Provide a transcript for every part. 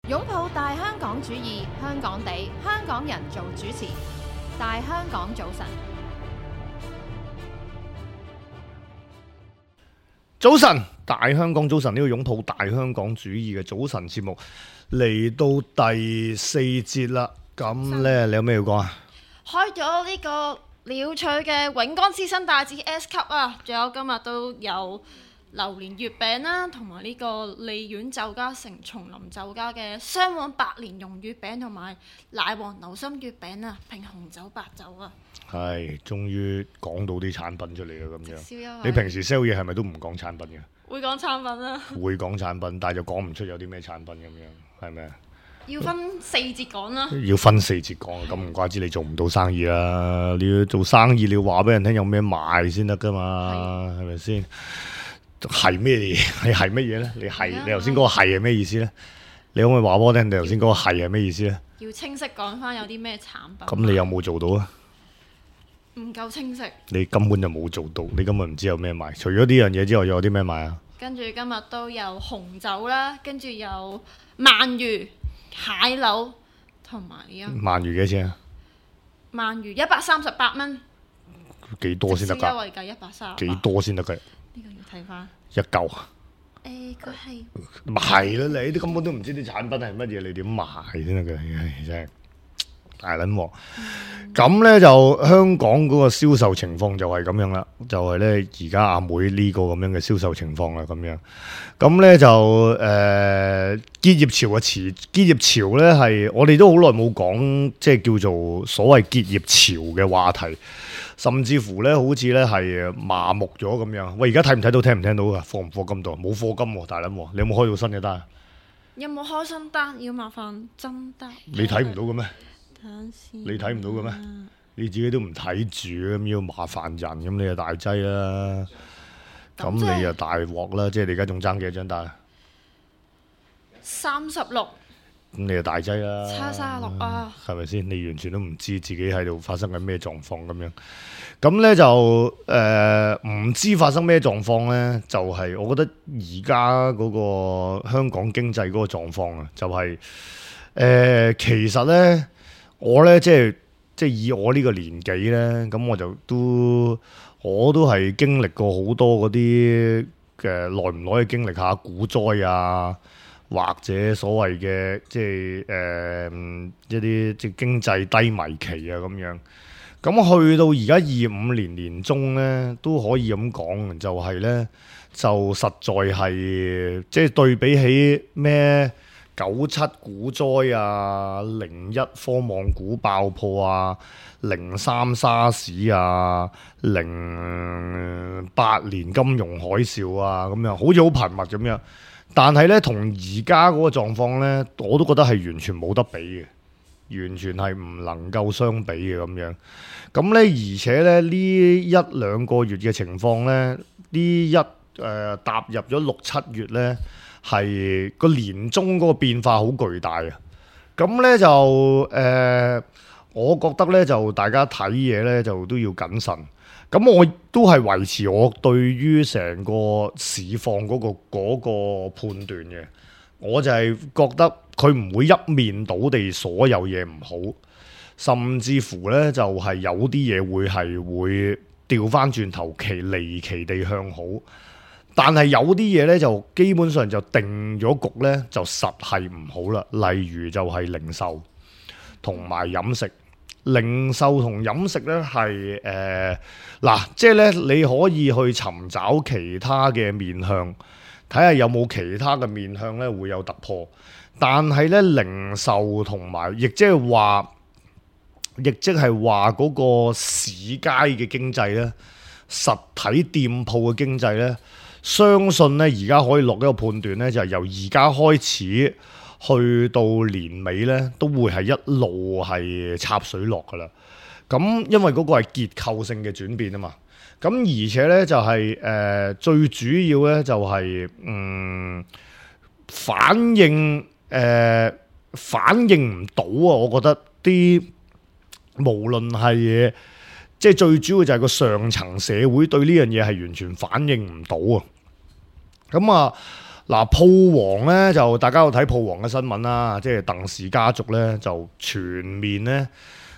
擁抱大香港主義，香港地，香港人做主持。大香港早晨，早晨，大香港早晨，呢個擁抱大香港主義嘅早晨節目嚟到第4節啦。咁呢，你有咩要講啊？開咗呢個鳥取嘅永江師生大節 S 級啊，仲有今日都有榴蓮月餅啦，同埋呢個利苑酒家城松林酒家嘅雙黃白蓮蓉月餅同埋奶黃流心月餅啊，拼紅酒白酒啊。係，終於講到啲產品出嚟啦，咁樣。宵你平時 sell 嘢係咪都唔講產品嘅？會講產品啊？會講產品，但係就講唔出有啲咩產品咁樣，係咪啊？要分4節講啦。要分4節講，咁唔怪之你做唔到生意啦。你要做生意，你要話俾人聽有咩賣先得噶嘛，係咪先？係咩嘢？係乜嘢咧？你頭先嗰個係咩意思咧？你可唔可以話俾我聽？你頭先嗰個係咩意思咧？要清晰講翻有啲咩產品。咁你有冇做到啊？唔夠清晰。你根本就冇做到，你根本唔知有咩賣。除咗呢樣嘢之外，仲有啲咩賣啊？跟住今日都有紅酒啦，跟住有鰻魚、蟹柳同埋呢個鰻魚幾錢啊？鰻魚138蚊。幾多先得㗎？優惠價130。幾多先得㗎？呢個要睇翻。一嚿啊？佢係咪係咯，你啲根本都唔知啲產品係乜嘢，你點賣先得嘅？真係大撚鑊。咁呢，就香港嗰個銷售情況就係咁樣啦，就係呢而家阿妹呢個咁樣嘅銷售情況啦，咁樣。咁呢，就結業潮嘅結業潮呢係我哋都好耐冇講，即係叫做所謂結業潮嘅話題。甚至乎咧，好似咧係麻木咗咁樣。喂，而家睇唔睇到、聽唔聽到㗎？課唔課金到？冇課金喎，大撚喎！你有冇開到新嘅單？有冇開新單？要麻煩真得。你睇唔到嘅咩？等陣先。你睇唔到嘅咩？你自己都唔睇住咁要麻煩人，咁你就大劑啦。咁你就大鑊啦！即係你而家仲爭幾多張單啊？36。咁你就大劑啦，差36啊，係咪先？你完全都唔知自己喺度發生緊咩狀況咁樣，咁呢就唔知發生咩狀況呢？就係我覺得而家嗰個香港經濟嗰個狀況啊，就係其實呢，我呢即係以我呢個年紀呢，咁我都係經歷過好多嗰啲嘅耐唔耐嘅經歷下股災啊。或者所謂嘅即係一啲即係經濟低迷期啊咁樣，咁去到而家25年年中咧，都可以咁講，就係咧就實在係即係對比起咩97股災啊、01科網股爆破啊、03沙士啊、08年金融海嘯啊咁樣，好似好頻密咁樣。但係咧，同而家嗰個狀況咧，我都覺得係完全冇得比嘅，完全係唔能夠相比嘅咁樣。咁咧，而且咧呢1-2個月嘅情況咧，踏入咗6-7月咧，係個年中嗰個變化好巨大啊！咁咧就我覺得咧就大家睇嘢咧就都要謹慎。咁我都係維持我對於成個市況嗰個判斷嘅，我就係覺得佢唔會一面倒地所有嘢唔好，甚至乎呢就係有啲嘢會調翻轉頭離奇地向好，但係有啲嘢呢就基本上就定咗局呢，就實係唔好啦，例如就係零售同埋飲食。零售同飲食咧係即係咧你可以去尋找其他嘅面向，睇下有冇其他嘅面向咧會有突破。但係咧零售同埋，亦即係話嗰個市街嘅經濟咧，實體店鋪嘅經濟咧，相信咧而家可以落一個判斷咧，就係由而家開始。去到年尾咧，都會係一路係插水落噶啦。咁因為嗰個係結構性嘅轉變啊嘛。咁而且咧就係最主要咧就係反應唔到啊！我覺得啲無論係即係最主要就係個上層社會對呢樣嘢係完全反應唔到啊。咁啊〜嗱，鋪王咧就大家有睇鋪王嘅新聞啦，即係鄧氏家族咧就全面咧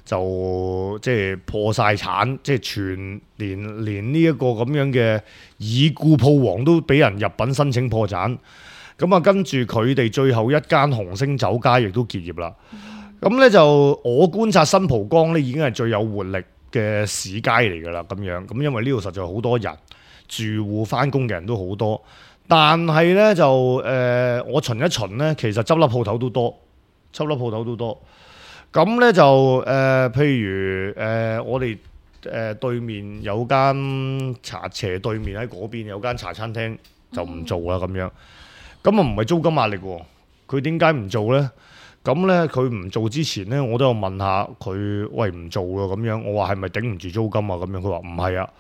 就即係破晒產，即係全連呢一個咁樣嘅已故鋪王都俾人入稟申請破產。咁啊，跟住佢哋最後一間紅星酒家亦都結業啦。咁咧就我觀察新蒲崗咧已經係最有活力嘅市街嚟㗎啦，咁樣咁因為呢度實在好多人，住戶翻工嘅人都好多。但係咧就我巡一巡咧，其實執笠鋪頭都多，執笠鋪頭都多。咁咧就譬如我哋對面有間斜對面喺嗰邊有間茶餐廳就唔做啦咁樣。咁啊唔係租金壓力喎，佢點解唔做咧？咁咧佢唔做之前咧，我都有問下佢，喂唔做啊咁樣。我話係咪頂唔住租金啊咁樣？佢話唔係啊。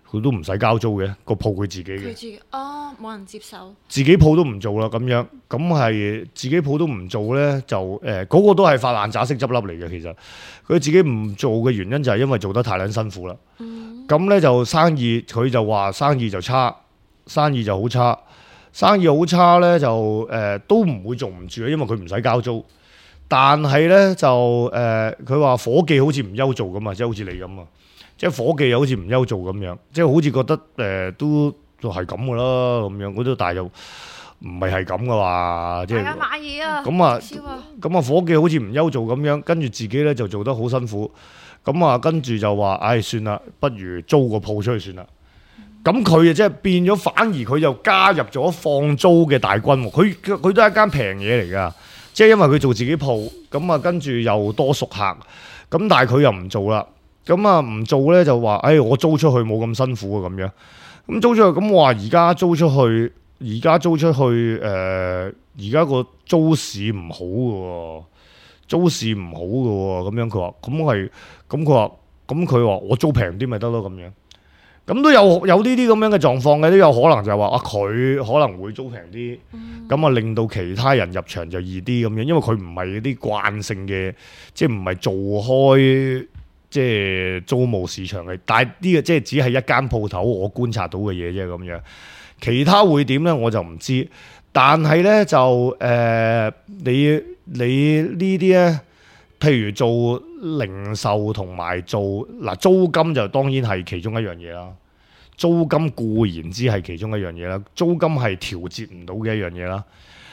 佢都唔使交租嘅，個鋪佢自己嘅。佢自己冇人接手。自己鋪都唔做啦，咁樣咁係自己鋪都唔做咧，就嗰個都係發爛渣式執笠嚟嘅。其實佢自己唔做嘅原因就係因為做得太撚辛苦啦。咁咧就生意，佢就話生意就差，生意就好差，生意好差咧就都唔會做唔住啊，因為佢唔使交租。但係咧就佢話伙計好似唔憂做咁啊，即係好似你咁啊。即係伙計又好似唔憂做咁樣，即係好似覺得都係咁噶啦咁樣，嗰啲但係又唔係咁噶嘛，即係買嘢啊，咁啊，伙計好似唔憂做咁樣，跟住自己咧就做得好辛苦，咁啊跟住就話，唉算啦，不如租個鋪出去算啦。咁佢啊即係變咗，反而佢又加入咗放租嘅大軍喎。佢都係一間平嘢嚟㗎，即係因為佢做自己鋪，咁啊跟住又多熟客，咁但係佢又唔做啦。咁啊唔做咧就話，我租出去冇咁辛苦啊咁樣。咁租出去，咁我話而家租出去，而家個租市唔好嘅喎，租市唔好嘅喎。咁樣佢話，咁佢話我租平啲咪得咯咁樣。咁都有呢啲咁樣嘅狀況嘅，都有可能就係話佢可能會租平啲，咁啊令到其他人入場就易啲咁樣，因為佢唔係啲慣性嘅，即係唔係做開。即係租務市場嘅，但係呢個即係只係一間鋪頭，我觀察到嘅嘢啫咁樣。其他會點咧，我就唔知。但係咧就你呢啲咧，譬如做零售同埋做租金就當然係其中一樣嘢啦。租金固然之係其中一樣嘢啦，租金係調節唔到嘅一樣嘢啦。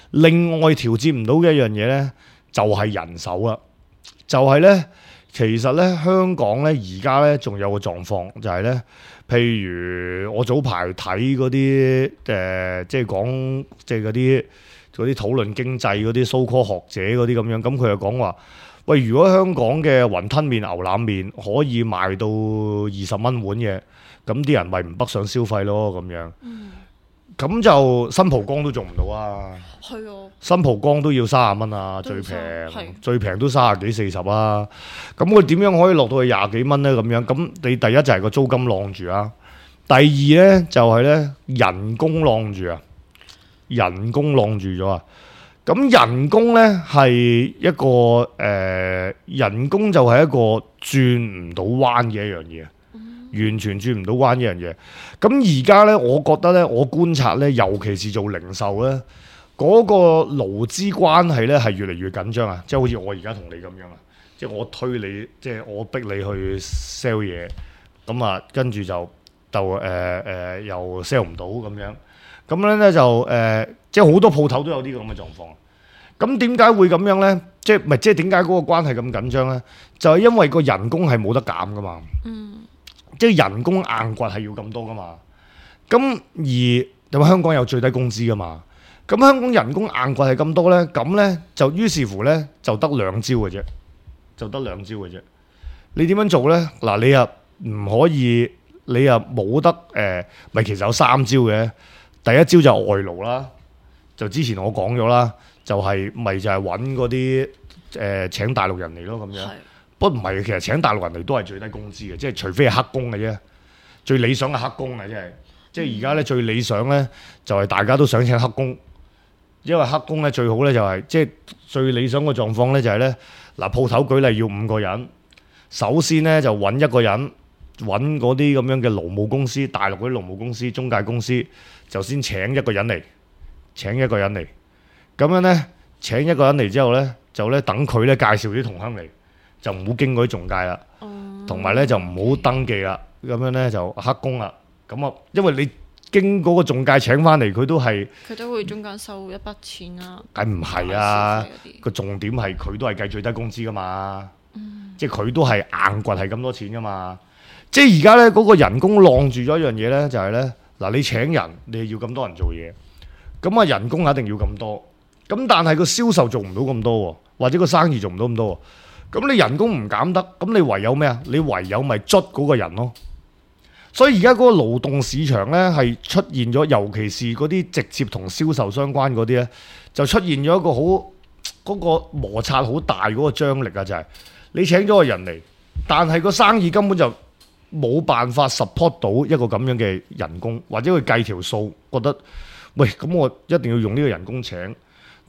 另外調節唔到嘅一樣嘢咧，就係人手啦，就係咧。其實咧，香港咧而家咧仲有個狀況，就係咧，譬如我早排睇嗰啲即係講即係嗰啲討論經濟嗰啲 so-called 學者嗰啲咁樣，咁佢就講話，喂，如果香港嘅雲吞麵、牛腩麵可以賣到20蚊碗嘅，咁啲人咪唔北上消費咯咁樣。咁就新蒲崗都做唔到啊！係啊，新蒲崗都要30蚊啊，最平都30幾40啊！咁佢點樣可以落到去20幾蚊咧？咁樣咁你第一就係個租金晾住啊，第二咧就係咧人工晾住啊，人工晾住咗啊！咁人工咧係一個人工就係一個轉唔到彎嘅一樣嘢。完全轉唔到彎一樣嘢，咁而家咧，我覺得咧，我觀察咧，尤其是做零售咧，嗰個勞資關係咧係越嚟越緊張啊！即係好似我而家同你咁樣啊，即係我推你，即係我逼你去 sell 嘢，咁啊，跟住就又 sell 唔到咁樣，咁咧就即係好多鋪頭都有啲咁嘅狀況。咁點解會咁樣咧？即係點解嗰個關係咁緊張咧？就係因為個人工係冇得減噶嘛。即係人工硬掘係要咁多噶嘛，咁而香港有最低工資噶嘛，咁香港人工硬掘係咁多咧，咁咧就於是乎咧就得兩招嘅啫，你點樣做咧？嗱，你又唔可以，你又冇得咪其實有3招嘅。第一招就係外勞啦，就之前我講咗啦，就係揾嗰啲請大陸人嚟咯咁樣。不過唔係，其實請大陸人嚟都係最低工資嘅，即係除非係黑工嘅啫。最理想嘅黑工啊，即係而家咧最理想咧就係大家都想請黑工，因為黑工咧最好咧就係即係最理想嘅狀況咧就係咧嗱，鋪頭舉例要5個人，首先咧就揾一個人，揾嗰啲咁樣嘅勞務公司，大陸嗰啲勞務公司、中介公司就先請一個人嚟，請一個人嚟，咁樣呢，請一個人嚟之後呢，就呢等佢呢介紹啲同鄉嚟，就唔好經過啲中介啦，同埋呢就唔好登記啦，咁樣呢就黑工啦。咁啊，因為你經嗰個中介請翻嚟，佢都會中間收一筆錢啦。梗唔係啊，個重點係佢都係計最低工資噶嘛，即係佢都係硬掘係咁多錢噶嘛。即係而家呢嗰個人工晾住咗一樣嘢呢，就係呢：嗱，你請人你係要咁多人做嘢，咁啊人工一定要咁多，咁但係個銷售做唔到咁多喎，或者個生意做唔到咁多喎，咁你人工唔減得，咁你唯有咩啊？你唯有咪捽嗰個人咯。所以而家嗰個勞動市場呢，係出現咗，尤其是嗰啲直接同銷售相關嗰啲呢，就出現咗一個好嗰個摩擦好大嗰個張力啊！就係你請咗個人嚟，但係個生意根本就冇辦法 support 到一個咁樣嘅人工，或者佢計條數覺得喂，咁我一定要用呢個人工請，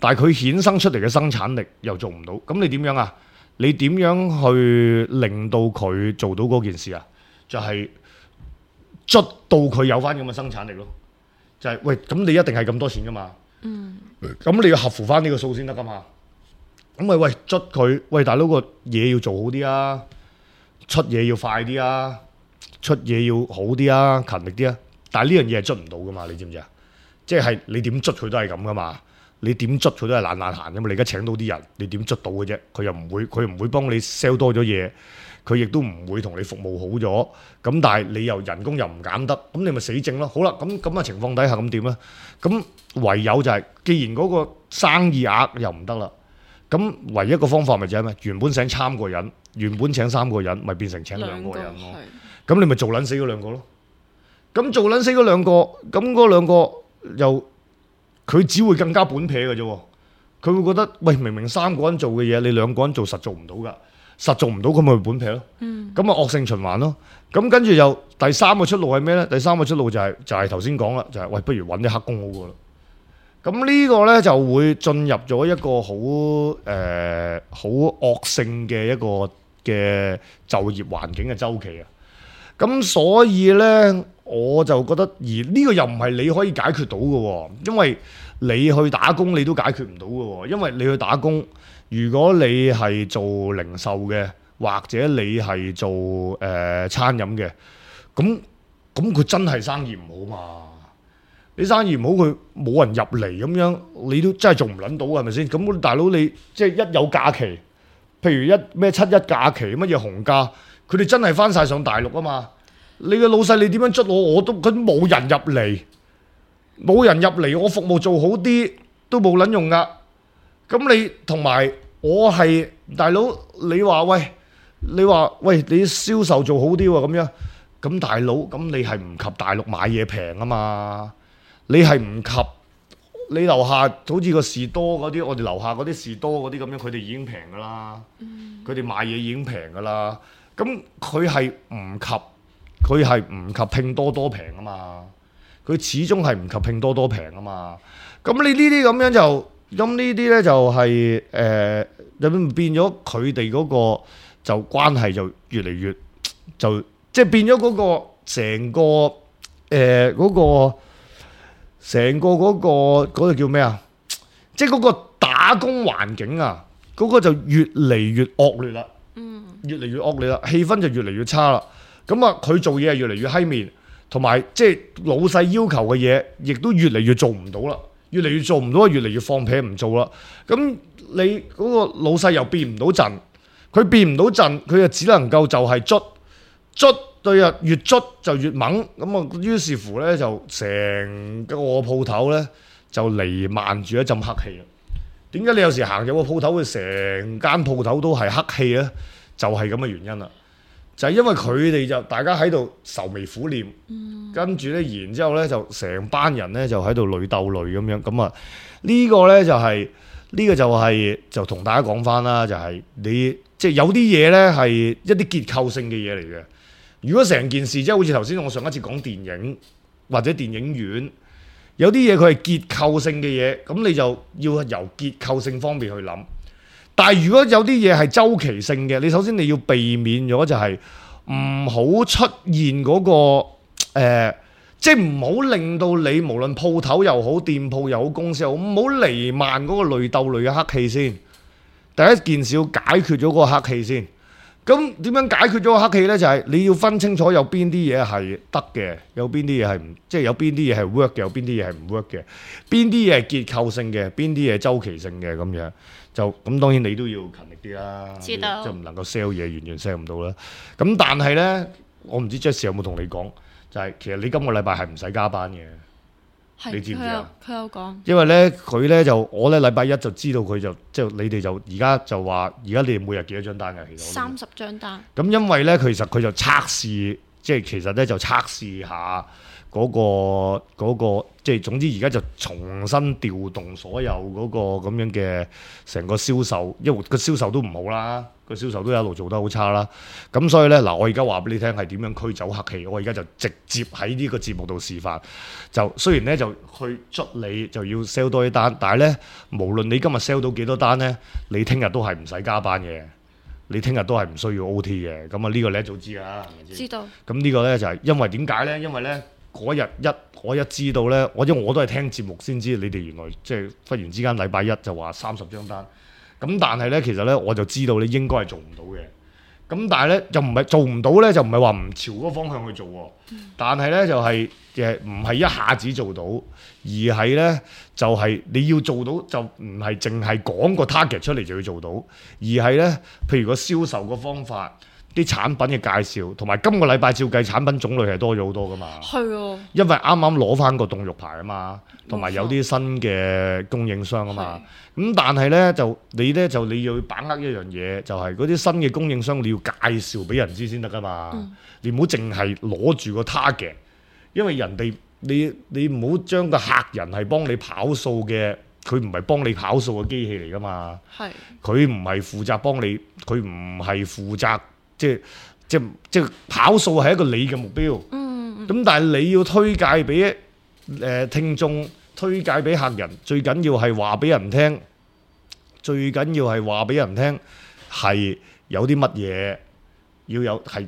但係佢衍生出嚟嘅生產力又做唔到，咁你點樣啊？你點樣去令到佢做到嗰件事啊？就係捽到佢有翻咁嘅生產力咯，就係喂，咁你一定係咁多錢噶嘛，咁你要合乎翻呢個數先得噶嘛，咁咪喂捽佢，喂大佬個嘢要做好啲啊，出嘢要快啲啊，出嘢要好啲啊，勤力啲啊，但係呢樣嘢係捽唔到噶嘛，你知唔知啊？即係你點捽佢都係咁噶嘛，你點捽佢都係懶懶閒噶嘛，你而家請到啲人，你點捽到嘅啫？佢又唔會幫你 sell 多咗嘢。佢亦都唔會同你服務好咗，咁但係你又人工又唔減得，咁你咪死症咯。好啦，咁嘅情況底下咁點咧？咁唯有就係，既然嗰個生意額又唔得啦，咁唯一一個方法咪就係咩？原本請3個人，原本請3個人，咪變成請2個人咯。咁你咪做撚死嗰2個咯。咁做撚死嗰2個，咁嗰2個又佢只會更加本撇嘅啫。佢會覺得喂，明明3個人做嘅嘢，你2個人做實做唔到㗎。實做唔到佢咪本劈咯，咁啊惡性循環咯。咁跟住又第3個出路係咩呢？第3個出路就係頭先講啦，就係喂，不如揾啲黑工好過啦。咁呢個呢，就會進入咗一個好惡性嘅一個嘅就業環境嘅周期啊。咁所以呢，我就覺得而呢個又唔係你可以解決到嘅喎，因為你去打工你都解決唔到嘅喎，因為你去打工。如果你係做零售嘅，或者你係做餐飲嘅，咁佢真係生意唔好嘛？你生意唔好，佢冇人入嚟咁樣，你都真係做唔撚到係咪先？咁大佬你即係一有假期，譬如咩7·1假期，乜嘢紅假，佢哋真係翻晒上大陸啊嘛！你嘅老細你點樣捽我都佢冇人入嚟，冇人入嚟，我服務做好啲都冇撚用噶。咁你同埋我係大佬，你話喂，你銷售做好啲喎咁樣，咁大佬咁你係唔及大陸買嘢平啊嘛？你係唔及你樓下好似個士多嗰啲，我哋樓下嗰啲士多嗰啲咁樣，佢哋已經平噶啦，佢哋買嘢已經平噶啦。咁佢係唔及拼多多平啊嘛？佢始終係唔及拼多多平啊嘛？咁你呢啲咁樣就。咁呢啲咧就係變咗佢哋嗰個就關係就越嚟越就即係變咗嗰個成個嗰個叫咩啊？即係嗰個打工環境啊，嗰個就越嚟越惡劣啦，越嚟越惡劣啦，氣氛就越嚟越差啦。咁啊，佢做嘢係越嚟越閪面，同埋即係老細要求嘅嘢，亦都越嚟越做唔到啦。越嚟越做唔到，越嚟越放屁唔做啦。咁你嗰個老細又變唔到陣，佢變唔到陣，佢就只能夠就係捽對啊，越捽就越猛。咁啊，於是乎咧就成個鋪頭咧就彌漫住一陣黑氣啦。點解你有時行入個鋪頭，會成間鋪頭都係黑氣咧？就係咁嘅原因啦。就係因為佢哋就大家喺度愁眉苦臉，跟住咧，然之後咧就成班人咧就喺度淚鬥淚咁樣，咁啊呢個咧就係就同大家講翻啦，就係你即係有啲嘢咧係一啲結構性嘅嘢嚟嘅。如果成件事即係好似頭先我上一次講電影或者電影院，有啲嘢佢係結構性嘅嘢，咁你就要由結構性方面去諗。但係如果有啲嘢係周期性嘅，你首先你要避免咗就係唔好出現嗰個即係唔好令到你無論鋪頭又好、店鋪又好、公司又好，唔好瀰漫嗰個累鬥累嘅黑氣先。第一件事要解決咗嗰個黑氣先。咁點樣解決咗個黑氣呢？就係、你要分清楚有邊啲嘢係得嘅，有邊啲嘢係唔，即係有邊啲嘢係 work 嘅，有邊啲嘢係唔 work 嘅，邊啲嘢係結構性嘅，邊啲嘢係周期性嘅咁樣。就咁當然你都要勤力啲啦，知道就唔能夠 sell 嘢完全 sell 唔到啦。咁但係呢，我唔知 Jess 有冇同你講，就係、其實你今個禮拜係唔使加班嘅。你知唔知啊？佢有講，因為咧佢咧就我咧禮拜一就知道佢就即係你哋就而家就話而家你哋每日幾多張單㗎？其實30張單。咁因為咧其實佢就測試，即係其實咧就測試下嗰個即係總之而家就重新調動所有嗰個咁樣嘅成個銷售，因為個銷售都唔好啦，個銷售都一路做得好差啦。咁所以咧嗱，我而家話俾你聽係點樣驅走黑氣，我而家就直接喺呢個節目度示範。就雖然咧就去捽你就要 sell 多啲單，但係咧無論你今日 sell 到幾多單咧，你聽日都係唔使加班嘅，你聽日都係唔需要 OT 嘅。咁啊呢個你一早知啦，係咪先？知道。咁呢個咧就係因為點解咧？因為咧嗰日我一知道咧，因為我都係聽節目先知你哋原來即係忽然之間禮拜一就話30張單。咁但係咧其實咧我就知道你應該係做唔到嘅。咁但係咧就唔係做唔到咧，就唔係話唔朝嗰個方向去做喎。但係咧就係唔係一下子做到，而係咧就係你要做到就唔係淨係講個 target 出嚟就要做到，而係咧譬如個銷售個方法、啲產品嘅介紹，同埋今個禮拜照計產品種類係多咗好多噶嘛。係喎。因為啱啱攞翻個凍肉牌啊嘛，同埋有啲新嘅供應商啊嘛。咁但係咧就你要把握一樣嘢，就係嗰啲新嘅供應商你要介紹俾人知先得噶嘛。你唔好淨係攞住個 target，因為人哋你唔好將個客人係幫你跑數嘅，佢唔係幫你跑數嘅機器嚟噶嘛。係。佢唔係負責幫你，佢唔係負責即係跑數係一個你嘅目標。咁但係你要推介俾聽眾，推介俾客人，最緊要係話俾人聽，係有啲乜嘢要有，係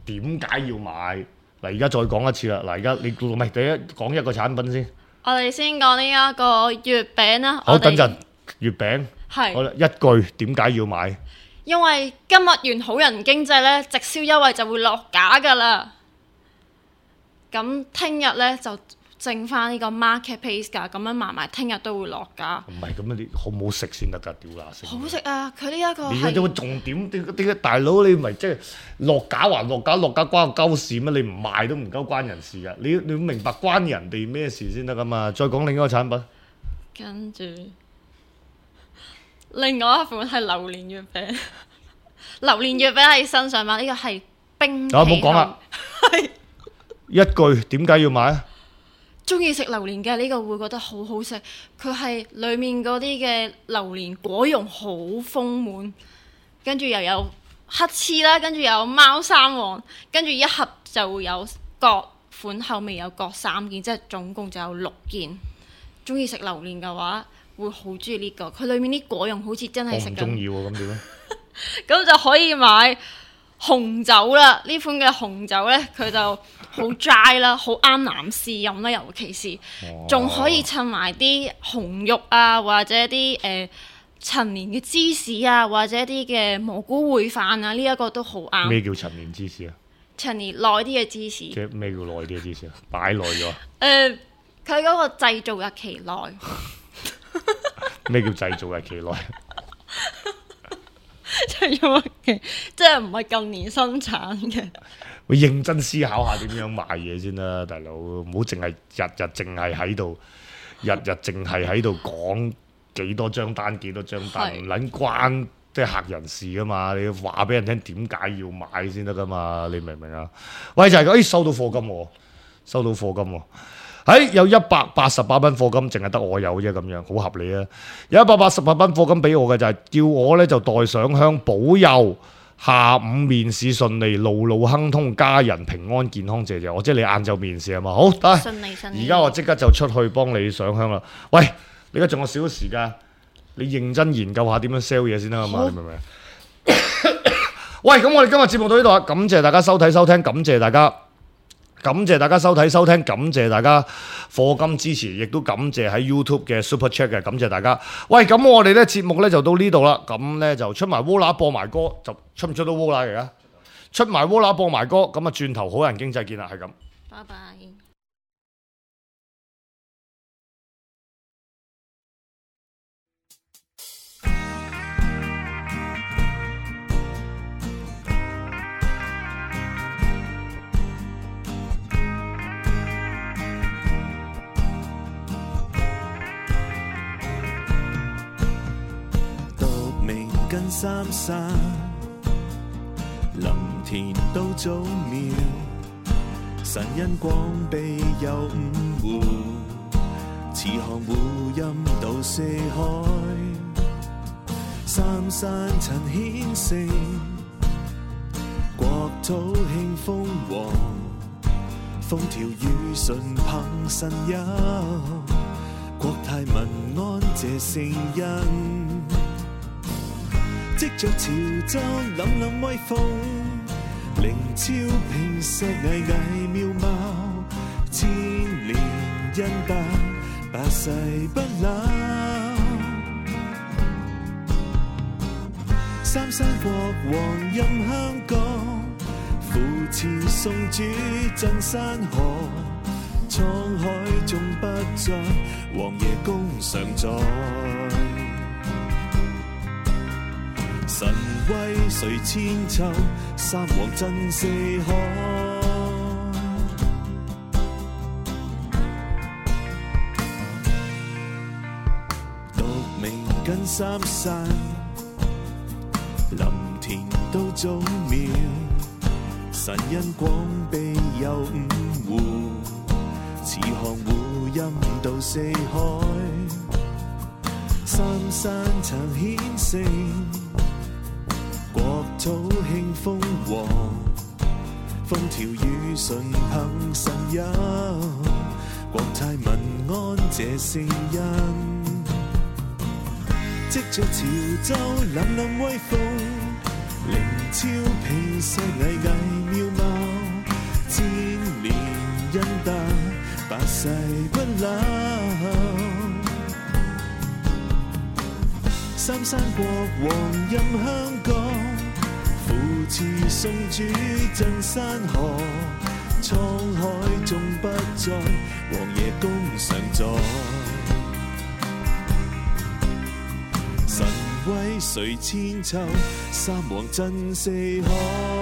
點解要買。嗱，而家再講一次啦。嗱，而家你唔係第一講一個產品先。我哋先講呢一個月餅啦。好，等陣月餅。係。好啦，一句點解要買？因為今日完好人經濟咧，直銷優惠就會落架噶啦。咁聽日咧就剩翻呢個 market pace 㗎，咁樣埋聽日都會落架。唔係咁樣，你好唔好食先得㗎？屌乸食！好食啊！佢呢一個係。你有個重點，點解大佬你咪即係落架還落架，落架關個鳩事咩？你唔賣都唔鳩關人事㗎。你要明白關人哋咩事先得㗎嘛？再講另一個產品。跟住。另外一款係榴蓮月餅，榴蓮月餅係新上版，呢個係冰皮。唔好講啦。係。一句點解要買啊？中意食榴蓮嘅呢個會覺得好好食，佢係裡面嗰啲嘅榴蓮果蓉好豐滿，跟住又有黑黐啦，跟住又有貓山王，跟住一盒就會有各款口味有各3件，即係總共就有6件。中意食榴蓮嘅話，會好中意呢個，佢裏面啲果蓉好似真係食緊。我唔中意喎，咁點咧？咁就可以買紅酒啦，呢款嘅紅酒呢，佢就好 dry 啦，好啱男士飲啦，尤其是仲可以襯埋啲紅肉啊，或者啲陳年嘅芝士啊，或者啲嘅蘑菇燴飯啊，呢、這、一個都好啱。咩叫陳年芝士啊？陳年耐啲嘅芝士。即係咩叫耐啲嘅芝士啊？擺耐咗。佢嗰個製造日期耐。咩叫製造日期耐？製造日期即係唔係近年生產嘅。會認真思考下點樣賣嘢先啦，大佬，唔好淨係日日淨係喺度講幾多張單，唔撚關即係客人事噶嘛，你要話俾人聽點解要買先得噶嘛，你明唔明啊？喂，就係咁，收到貨金喎，有188蚊貨金，淨係得我有啫，咁樣好合理啊！有188蚊貨金俾我嘅就係叫我呢就代上香，保佑下午面試順利，路路亨通，家人平安健康，謝謝我。即係你晏晝面試係嘛？好，得。而家我即刻就出去幫你上香啦。喂，你而家仲有少少時間，你認真研究下點樣 sell 嘢先得嘛？你明唔明？喂，咁我哋今日節目到呢度啊！感謝大家收睇收聽，感謝大家感謝大家收睇收聽，感謝大家課金支持，亦都感謝喺 YouTube 嘅 Super Chat 嘅，感謝大家。喂，咁我哋咧節目咧就到呢度啦，咁咧就出埋 Wola 播埋歌，就出唔出到 Wola 嚟啊？出埋 Wola 播埋歌，咁啊轉頭好人經濟見啦，係咁。拜拜。跟三山林田都早苗，神因光庇佑五湖，慈航湖陰到四海，三山陳顯聖，國土興豐旺，風調雨順憑神佑，國泰民安謝聖恩。藉着潮州凜凜威風，靈超平石巍巍妙貌，千年恩德百世不朽。三山國王任香港，扶持送主鎮山河，滄海縱不再，王爺公常在。神威垂千秋，三皇震四海。獨明跟三山，林田都早苗，神因廣庇佑五湖，慈航湖陰到四海，三山曾顯聖，國土興豐旺，風調雨順憑神佑，國泰民安謝聖恩。藉着潮州凜凜威風，靈超平石巍巍妙貌，千年恩德百世不朽。三山國王任香港，扶持送主鎮山河，滄海縱不再，王爺公常在。神威垂千秋，三皇震四海。